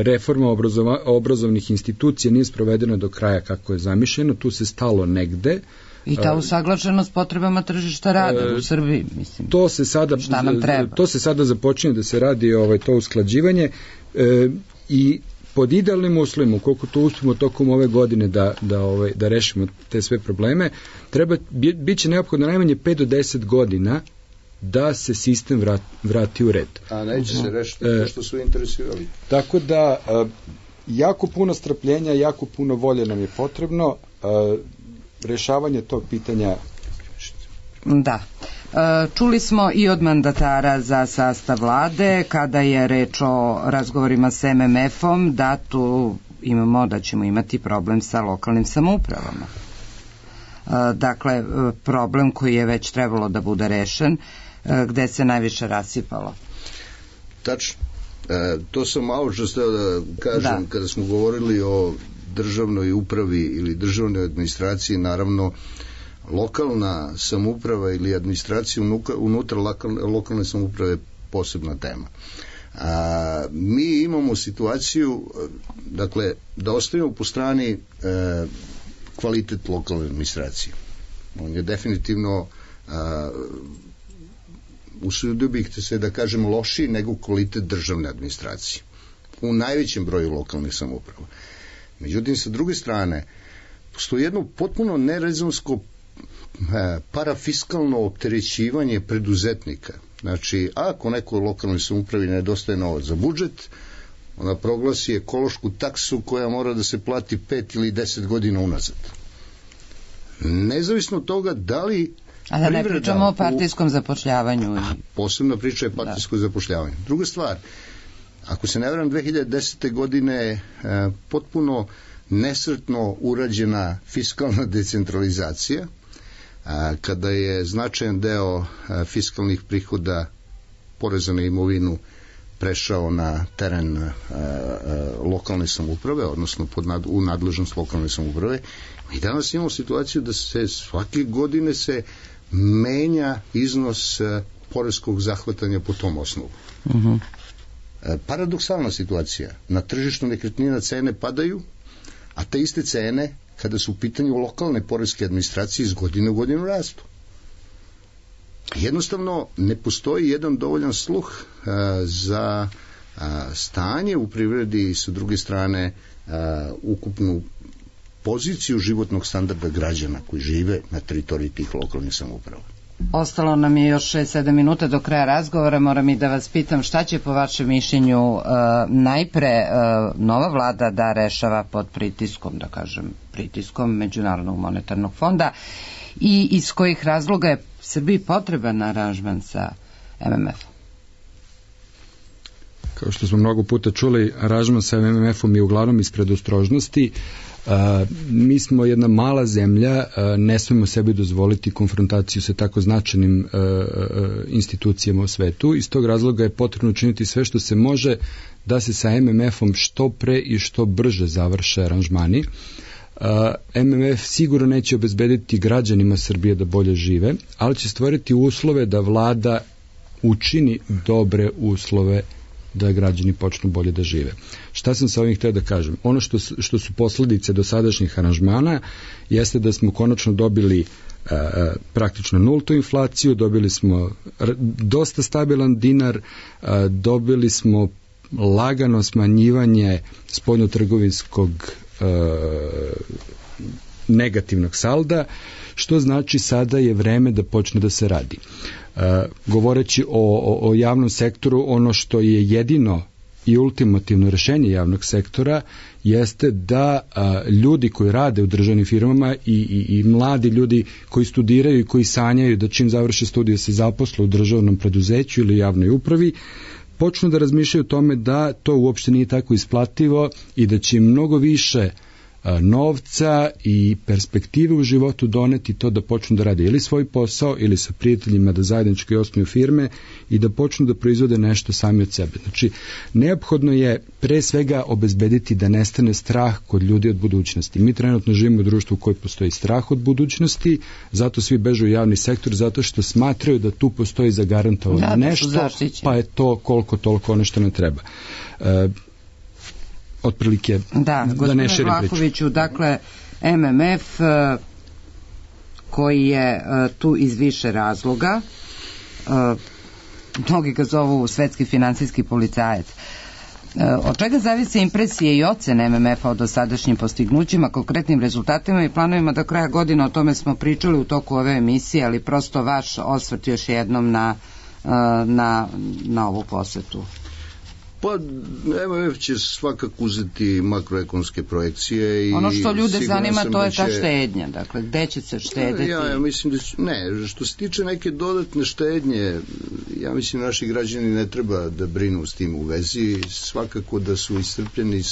Reforma obrazovnih institucija nije sprovedena do kraja kako je zamišljeno, tu se stalo negde. I ta usaglašenost potrebama tržišta rada u Srbiji, mislim. Šta nam treba? To se sada započinje da se radi to usklađivanje i pod idealnim uslovima, ukoliko to uspemo tokom ove godine da rešimo te sve probleme, bit će neophodno najmanje 5 do 10 godina da se sistem vrati u red. A neće se rešiti što su interesirali. Tako da jako puno strpljenja, jako puno volje nam je potrebno. Rešavanje tog pitanja. Da. Čuli smo i od mandatara za sastav vlade kada je reč o razgovorima s MMF-om da tu da ćemo imati problem sa lokalnim samoupravama. Dakle, problem koji je već trebalo da bude rešen, gde se najviše rasipalo. Tačno. To sam malo što ste da kažem kada smo govorili o državnoj upravi ili državnoj administraciji, naravno lokalna samouprava ili administracija unutra lokalne samouprave je posebna tema. Mi imamo situaciju, dakle, da ostavimo po strani kvalitet lokalne administracije. On je definitivno usudio bih se da kažem lošiji nego kvalitet državne administracije u najvećem broju lokalnih samouprava. Međutim, sa druge strane, postoji jedno potpuno nerezonsko parafiskalno opterećivanje preduzetnika. Znači, ako nekoj lokalnoj samoupravi nedostaje novac za budžet, ona proglasi ekološku taksu koja mora da se plati 5 ili 10 godina unazad. Nezavisno od toga da li a da ne pričamo o partijskom zapošljavanju. Posebna priča je partijsko zapošljavanje. Druga stvar, ako se ne varam, 2010. godine potpuno nesretno urađena fiskalna decentralizacija, kada je značajan deo fiskalnih prihoda poreza na imovinu prešao na teren lokalne samouprave, odnosno u nadležnost lokalne samouprave. I danas imamo situaciju da se svake godine se menja iznos poreskog zahvatanja po tom osnovu. Paradoksalna situacija. Na tržištu nekretnina cene padaju, a te iste cene, kada su u pitanju lokalne poreske administracije, iz godine u godinu rastu. Jednostavno, ne postoji jedan dovoljan sluh za stanje u privredi i sa druge strane ukupnu poziciju životnog standarda građana koji žive na teritoriji tih lokalnih samouprava. Ostalo nam je još 6-7 minuta do kraja razgovora. Moram i da vas pitam šta će po vašem mišljenju najpre nova vlada da rešava pod pritiskom, da kažem, pritiskom Međunarodnog monetarnog fonda i iz kojih razloga je Srbiji potreban aranžman sa MMF-om? Kao što smo mnogo puta čuli, aranžman sa MMF-om je uglavnom iz predostrožnosti. Mi smo jedna mala zemlja, ne smemo sebi dozvoliti konfrontaciju sa tako značajnim institucijama u svetu. Iz tog razloga je potrebno učiniti sve što se može da se sa MMF-om što pre i što brže završe aranžmani. MMF sigurno neće obezbediti građanima Srbije da bolje žive, ali će stvoriti uslove da vlada učini dobre uslove da građani počnu bolje da žive. Šta sam sa ovim htio da kažem? Ono što su posledice dosadašnjih aranžmana jeste da smo konačno dobili praktično nultu inflaciju, dobili smo dosta stabilan dinar, dobili smo lagano smanjivanje spoljnotrgovinskog negativnog salda, što znači sada je vreme da počne da se radi. Govoreći o javnom sektoru, ono što je jedino i ultimativno rešenje javnog sektora jeste da ljudi koji rade u državnim firmama i mladi ljudi koji studiraju i koji sanjaju da čim završe studije se zaposle u državnom preduzeću ili javnoj upravi, počnu da razmišljaju o tome da to uopšte nije tako isplativo i da će mnogo više novca i perspektive u životu doneti to da počnu da rade ili svoj posao ili sa prijateljima da zajednički osnuju firme i da počnu da proizvode nešto sami od sebe. Znači, neophodno je pre svega obezbediti da nestane strah kod ljudi od budućnosti. Mi trenutno živimo u društvu u kojoj postoji strah od budućnosti, zato svi bežu u javni sektor, zato što smatraju da tu postoji zagarantovano nešto, pa je to koliko toliko ono što ne treba. Otprilike da ne širim priču. Vlahoviću, dakle MMF koji je tu iz više razloga, mnogi ga zovu svetski finansijski policajac. Od čega zavise impresije i ocene MMF-a o dosadašnjim postignućima, konkretnim rezultatima i planovima do kraja godine? O tome smo pričali u toku ove emisije, ali prosto vaš osvrt još jednom na ovu posetu. Pa MMF će svakako uzeti makroekonomske projekcije i ono što ljude zanima to je ta štednja, dakle gde će se štedeti? Ja mislim da što se tiče neke dodatne štednje, ja mislim naši građani ne treba da brinu s tim u vezi, svakako da su iscrpljeni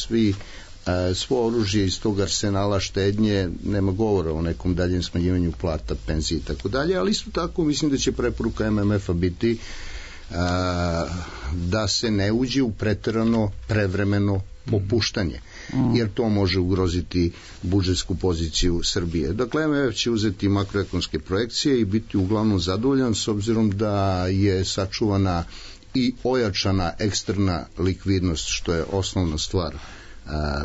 svo oružje iz tog arsenala štednje, nema govora o nekom daljem smanjivanju plata, penzije i tako dalje, ali isto tako mislim da će preporuka MMF-a biti da se ne uđe u preterano prevremeno popuštanje, jer to može ugroziti budžetsku poziciju Srbije. Dakle, MMF će uzeti makroekonomske projekcije i biti uglavnom zadovoljan s obzirom da je sačuvana i ojačana eksterna likvidnost, što je osnovna stvar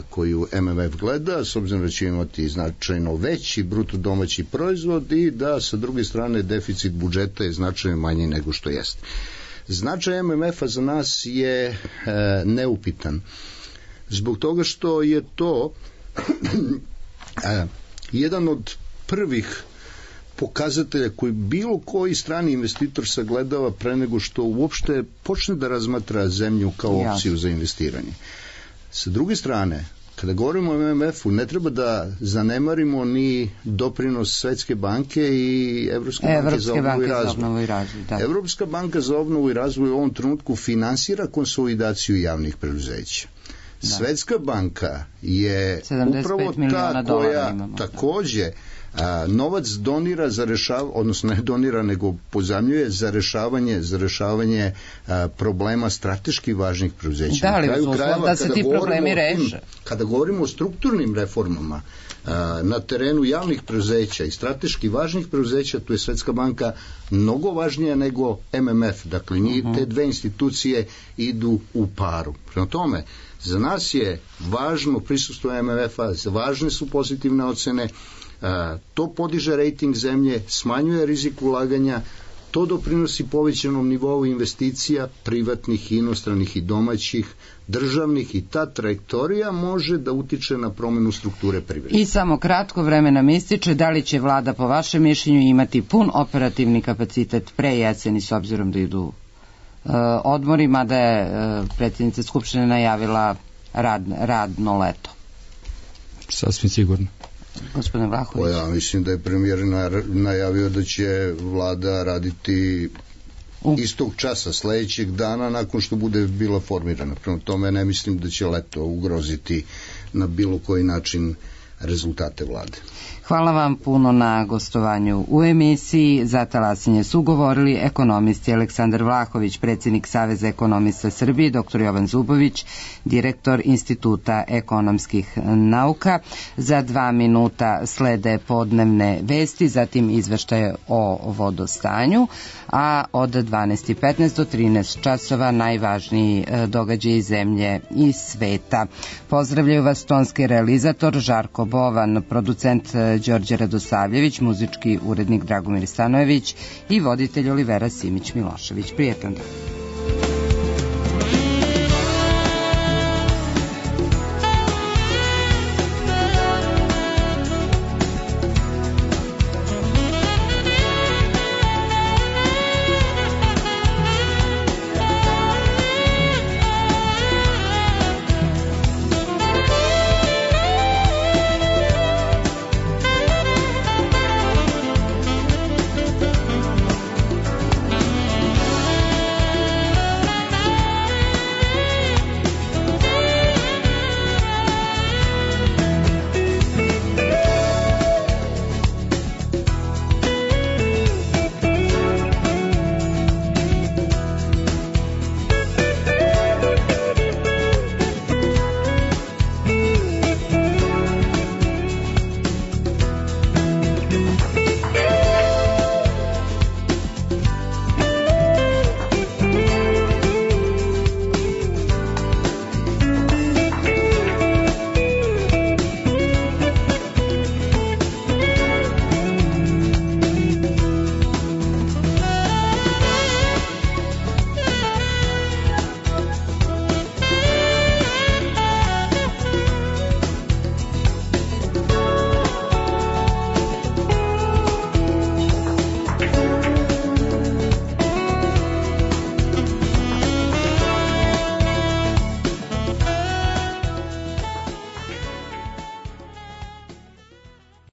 koju MMF gleda, s obzirom da će imati značajno veći bruto domaći proizvod i da sa druge strane deficit budžeta je značajno manji nego što jeste. Značaj MMF-a za nas je neupitan. Zbog toga što je to jedan od prvih pokazatelja koji bilo koji strani investitor sagledava pre nego što uopšte počne da razmatra zemlju kao opciju za investiranje. Sa druge strane, kada govorimo o MMF-u, ne treba da zanemarimo ni doprinos Svetske banke i Evropske banke za obnovu i razvoj. Evropska banka za obnovu i razvoj u ovom trenutku finansira konsolidaciju javnih preduzeća. Svetska banka je upravo ta koja takođe novac donira za rešavanje, odnosno ne donira nego pozajmljuje za rešavanje problema strateški važnih preduzeća. Da li vas uslov da se ti problemi reše? Kada govorimo o strukturnim reformama na terenu javnih preduzeća i strateški važnih preduzeća, tu je Svetska banka mnogo važnija nego MMF. Dakle, te dve institucije idu u paru. Prema tome, za nas je važno prisustvo MMF-a, važne su pozitivne ocene, to podiže rejting zemlje, smanjuje rizik ulaganja, to doprinosi povećanom nivou investicija, privatnih, inostranih i domaćih, državnih, i ta trajektorija može da utiče na promenu strukture privrede. I samo kratko vreme nam ističe, da li će vlada po vašem mišljenju imati pun operativni kapacitet pre jeseni s obzirom da idu odmorima, da je predsjednica Skupštine najavila radno leto? Sasvim sigurno. Gospodine Vlahović. Ja mislim da je premijer najavio da će vlada raditi istog časa, sledećeg dana nakon što bude bila formirana. Prema tome ne mislim da će leto ugroziti na bilo koji način rezultate vlade. Hvala vam puno na gostovanju u emisiji. Za Talasinje su govorili ekonomisti Aleksandar Vlahović, predsjednik Saveza ekonomista Srbije, dr. Jovan Zubović, direktor Instituta ekonomskih nauka. Za 2 minuta slede podnevne vesti, zatim izveštaje o vodostanju, a od 12:15 do 13 časova najvažniji događaji iz zemlje i sveta. Pozdravljaju vas tonski realizator Žarko Bovan, producent Đorđe Radosavljević, muzički urednik Dragomir Stanojević i voditelj Olivera Simić Milošević. Prijetan dan.